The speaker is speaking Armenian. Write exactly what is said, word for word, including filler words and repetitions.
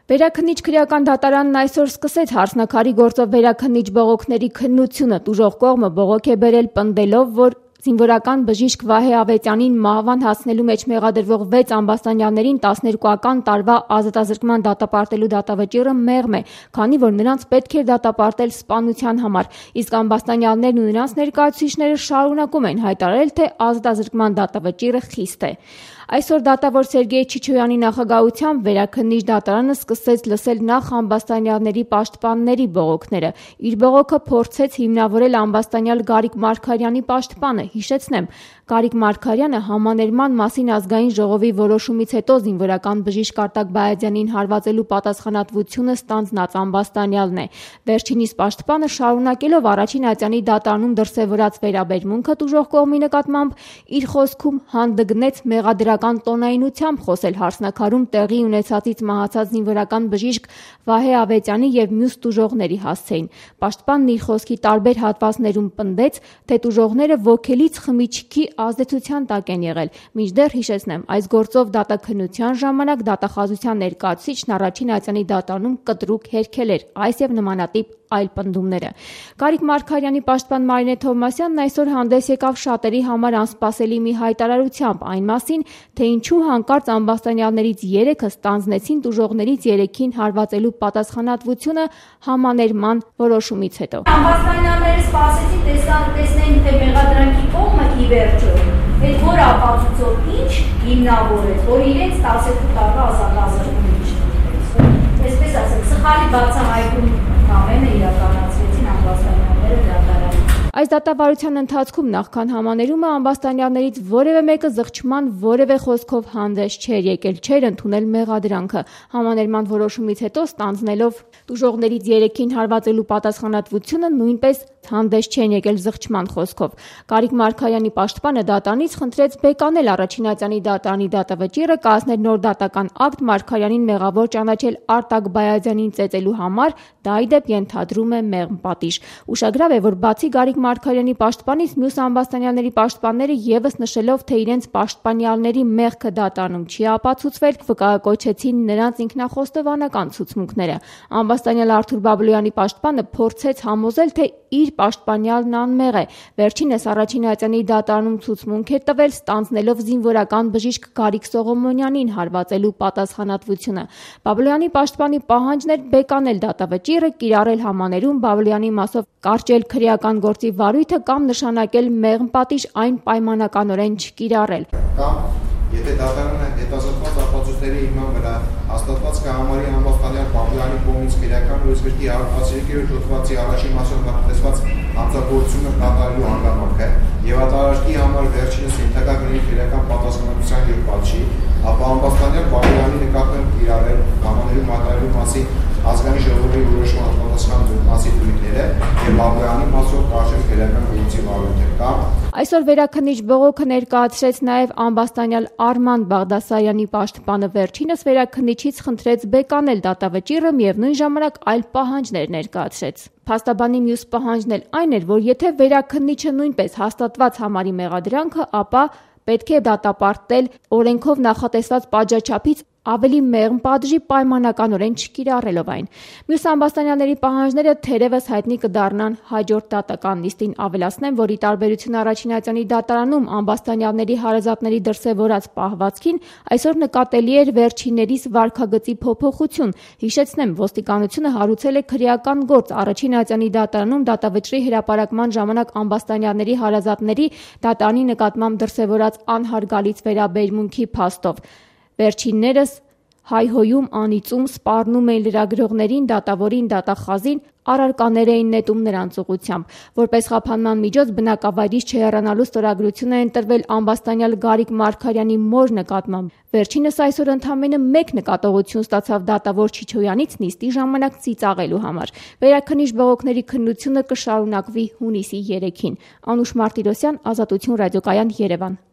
Վերաքննիչ քրեական դատարանն այսօր սկսեց հարսնաքարի գործով վերաքննիչ բողոքների քննությունը։ Տուժող կողմը բողոք է բերել պնդելով, որ զինվորական բժիշկ Վահե Ավետյանին մահվան հասցնելու մեջ մեղադրվող վեց ամբաստանյալներին տասներկուական տարվա ազատազրկման դատապարտելու դատավճիռը մեղմ է, քանի որ նրանց պետք էր դատապարտել սպանության համար, իսկ ամբաստանյալներն ու նրանց ներկայացուցիչները շարունակում են հայտարարել, թե ազատազրկման դատավճիռը խիստ է։ Այսօր դատավոր Սերգեյ Չիչոյանի նախագահությամբ վերաքննիչ դատարանը սկսեց լսել նախ ամբաստանյալների պաշտպանների բողոքները։ Իր բողոքը փորձեց հիմնավորել ամբաստանյալ Գարիկ Մարգարյանի պաշտպանը։ Հիշեցնեմ, Գարիկ Մարգարյանը համաներման մասին ազգային ժողովի որոշումից հետո զինվորական բժիշկ Արտակ Բայազյանին հարվածելու պատասխանատվությունը ստանձնած ամբաստանյալն է։ Վերջինիս պաշտպանը շարունակելով առաջին ատյանի դատարանում դրսևորած վերաբերմունքը տուժող կողմի նկատմամբ իր խոսքում հանդգնեց մեղադրական տոնայնությամբ խոսել հարսնաքարում տեղի ունեցածից մահացած զինվորական բժիշկ Վահե Ավետյանի եւ մյուս տուժողների հասցեին։ Պաշտպանն իր խոսքի տարբեր հատվածներում պնդեց, թե տուժողները ոգելից խմիչքի ազդեցության տակ են եղել։ Մինչդեռ հիշեցնեմ, այս գործով դատաքննության ժամանակ դատախազության ներկայացուցիչն առաջին ատյանի դատարանում կտրուկ հերքել էր այս եւ նմանատիպ այլ պնդումները։ Գարիկ Մարգարյանի պաշտպան Մարինե Թովմասյանն այսօր հանդես եկավ շատերի համար անսպասելի մի հայտարարությամբ այն մասին, թե ինչու հանկարծ ամբաստանյալներից երեքը ստանձնեցին տուժողներից երեքին հարվածելու պատասխանատվությունը համաներման որոշումից հետո։ Ամբաստանյալները սպասեցին տեսնեն, թե մեղադրանքի կողմը ի վերջո այդ որ ապացույցով ինչ հիմնավորեց, որ իրենց տասներկու տարվա ազատազրկումն չտվեց։ Այսպես ասած, սխալի բացահայտում ամենը իրականացրեցին ամբաստանյալները դատարանում։ Այս դատավարության ընթացքում նախքան համաներումը ամբաստանյալներից որևէ մեկը զղջման որևէ խոսքով հանդես չէր եկել, չէր ընդունել մեղադրանքը։ Համաներման որոշումից հետո ստանձնելով տուժողներից երեքին հարվածելու պատասխանատվությունը նույնպես հանդես չեն եկել զղջման խոսքով։ Գարիկ Մարգարյանի պաշտպանը դատարանից խնդրեց բեկանել առաջին ատյանի դատարանի դատավճիռը, կազմել նոր դատական ակտ Մարգարյանին մեղավոր ճանաչել Արտակ Բայազյանին ծեծելու համար, դա ի դեպ ենթադրում է մեղմ պատիժ։ Ուշագրավ է, որ բացի Գարիկ Մարգարյանի պաշտպանից մյուս ամբաստանյալների պաշտպանները եւս նշելով, թե իրենց պաշտպանյալների մեղքը դատարանում չի ապացուցվել, վկայակոչեցին նրանց ինքնախոստովանական ցուցմունքները։ Ամբաստանյալ Արթուր Բաբլոյանի պաշտպանը փորձեց համոզել, թե իր պաշտպանյալն անմեղ է։ Վերջինս առաջին ատյանի դատարանում ցուցմունք է տվել, ստանձնելով զինվորական բժիշկ Գարիկ Սողոմոնյանին հարվածելու պատասխանատվությունը։ Բաբլոյանի պաշտպանի պահանջն էր բեկանել դատավճիռը, կիրառել համաներում Բաբլոյանի մասով կարճել քրեական գործի վարույթը կամ նշանակել մեղմ պատիժ այն պայմանականորեն չկիրառել։ Կամ եթե դատարանը հետազոտված ապացույցների հիման վրա հաստատված կհամարի ամբաստանյալ Բաբլոյանի կողմից քրեական օրենսգրքի հարվածերկերորդ հոդվածի առաջին մասով նախատեսված հանցագործությունը կատարելու հանգամանքը եւ ատարաշկի համար վերջինս ենթակա կլինի քրեական պատասխանատվության եւ պատժի, ապա ամբաստանյալ Բաբլոյանի նկատմամբ կիրառել համաներում մատարելու մասին ազգային ժողովի որոշման պատասխան մասի դույթները եւ Բաբլոյանի մասով կարճել քրեական գործի վարույթը կամ Այսօր վերաքննիչ բողոքը ներկայացրեց նաև ամբաստանյալ Արման Բաղդասարյանի պաշտպանը։ Վերջինս վերաքննիչից խնդրեց բեկանել դատավճիռը եւ նույն ժամանակ այլ պահանջներ ներկայացրեց։ Փաստաբանի մյուս պահանջն էլ այն էր, որ եթե վերաքննիչը նույնպես հաստատված համարի մեղադրանքը, ապա պետք է դատապարտել օրենքով նախատեսված պատժաչափից ավելի մեղմ պատժի պայմանականորեն չկիրառելով այն։ Մյուս ամբաստանյալների պահանջները թերևս հայտնի կդառնան հաջորդ դատական նիստին։ Ավելացնեմ, որ ի տարբերություն առաջին ատյանի դատարանում ամբաստանյալների հարազատների դրսևորած պահվածքին այսօր նկատելի էր վերջիններիս վարքագծի փոփոխություն։ Հիշեցնեմ, ոստիկանությունը հարուցել է քրեական գործ առաջին ատյանի դատարանում դատավճռի հրապարակման ժամանակ ամբաստանյալների հարազատների դատարանի նկատմամբ դրսևորած անհարգալից վերաբերմունքի փաստով։ Վերջիններս հայհոյում, անիծում, սպառնում էին լրագրողներին, դատավորին, դատախազին, առարկաներ էին նետում նրանց ուղղությամբ։ Որպես խափանման միջոց բնակավայրից չհեռանալու ստորագրություն է ընտրվել ամբաստանյալ Գարիկ Մարգարյանի մոր նկատմամբ։ Վերջինս այսօր ընդամենը մեկ նկատողություն ստացավ դատավոր Չիչոյանից նիստի ժամանակ ծիծաղելու համար։ Վերաքննիչ բողոքների քննությունը կշարունակվի հունիսի երեքին։ Անուշ Մարտիրոսյան, Ազատություն ռադիոկայան, Երևան։